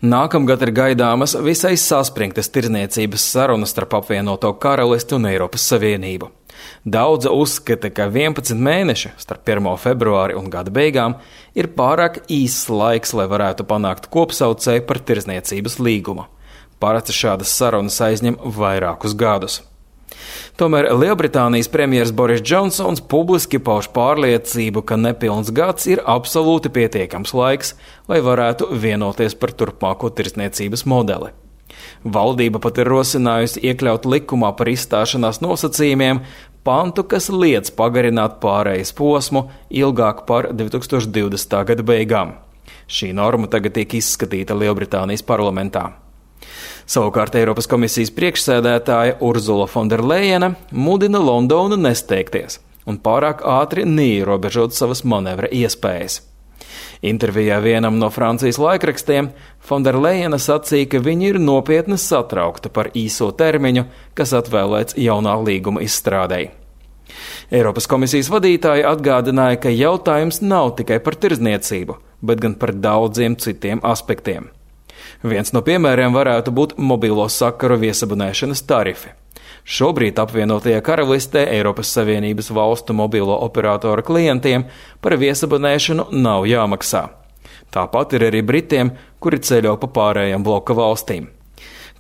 Nākamgad ir gaidāmas visai saspringtas tirdzniecības sarunas starp apvienoto karalisti un Eiropas Savienību. Daudzi uzskata, ka 11 mēneši starp 1. februāri un gada beigām ir pārāk īss laiks, lai varētu panākt kopsaucēju par tirdzniecības līgumu. Parasti šādas sarunas aizņem vairākus gadus. Tomēr Lielbritānijas premjers Boris Džonsons publiski pauž pārliecību, ka nepilns gads ir absolūti pietiekams laiks, lai varētu vienoties par turpmāko tirdzniecības modeli. Valdība pat ir rosinājusi iekļaut likumā par izstāšanās nosacījumiem pantu, kas liedz pagarināt pārejas posmu ilgāk par 2020. gada beigām. Šī norma tagad tiek izskatīta Lielbritānijas parlamentā. Savukārt Eiropas komisijas priekšsēdētāja Urzula Fonderlejena mudina Londonu nesteigties un pārāk ātri neierobežot savas manevra iespējas. Intervijā vienam no Francijas laikrakstiem Fonderlejena sacīja, ka viņi ir nopietni satraukti par īso termiņu, kas atvēlēts jaunā līguma izstrādei. Eiropas komisijas vadītāja atgādināja, ka jautājums nav tikai par tirdzniecību, bet gan par daudziem citiem aspektiem. Viens no piemēriem varētu būt mobilo sakaru viesabunēšanas tarifi. Šobrīd apvienotajā karalistē Eiropas Savienības valstu mobilo operatoru klientiem par viesabunēšanu nav jāmaksā. Tāpat ir arī Britiem, kuri ceļo pa pārējām bloka valstīm.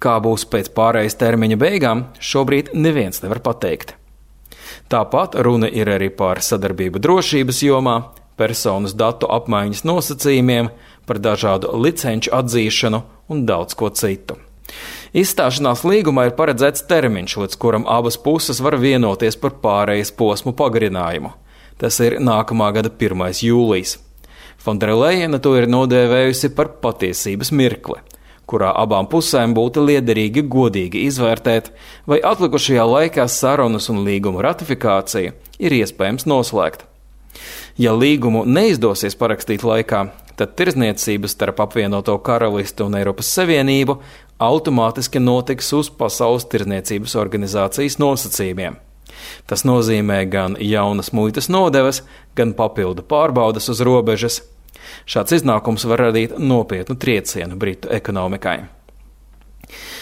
Kā būs pēc pārējas termiņa beigām, šobrīd neviens nevar pateikt. Tāpat runa ir arī par sadarbību drošības jomā, personas datu apmaiņas nosacījumiem, par dažādu licenču atzīšanu un daudz ko citu. Izstāšanās līgumā ir paredzēts termiņš, līdz kuram abas puses var vienoties par pārejas posmu pagarinājumu. Tas ir nākamā gada 1. jūlijs. Fonderlejena to ir nodēvējusi par patiesības mirkli, kurā abām pusēm būtu liederīgi godīgi izvērtēt, vai atlikušajā laikā sarunas un līguma ratifikācija ir iespējams noslēgt. Ja līgumu neizdosies parakstīt laikā, tad tirdzniecības starp apvienoto karalisti un Eiropas Savienību automātiski notiks uz Pasaules tirdzniecības organizācijas nosacījumiem. Tas nozīmē gan jaunas muitas nodevas, gan papildu pārbaudas uz robežas. Šāds iznākums var radīt nopietnu triecienu Britu ekonomikai.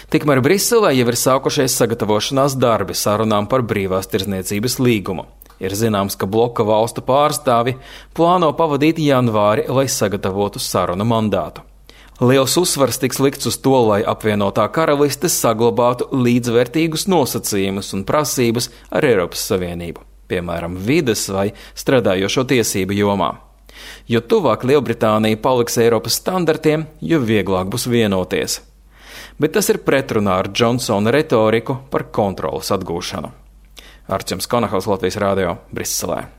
Tikmēr Briselē jau ir sākušies sagatavošanās darbi sarunām par brīvās tirdzniecības līgumu. Ir zināms, ka bloka valstu pārstāvi plāno pavadīt janvāri, lai sagatavotu sarunu mandātu. Liels uzsvars tiks likts uz to, lai apvienotā karaliste saglabātu līdzvērtīgus nosacījumus un prasības ar Eiropas Savienību, piemēram, vides vai strādājošo tiesību jomā. Jo tuvāk Lielbritānija paliks Eiropas standartiem, jo vieglāk būs vienoties. Bet tas ir pretrunā ar Džonsona retoriku par kontroles atgūšanu. Arčuns Konahaus, Latvijas Rādio, Briselē.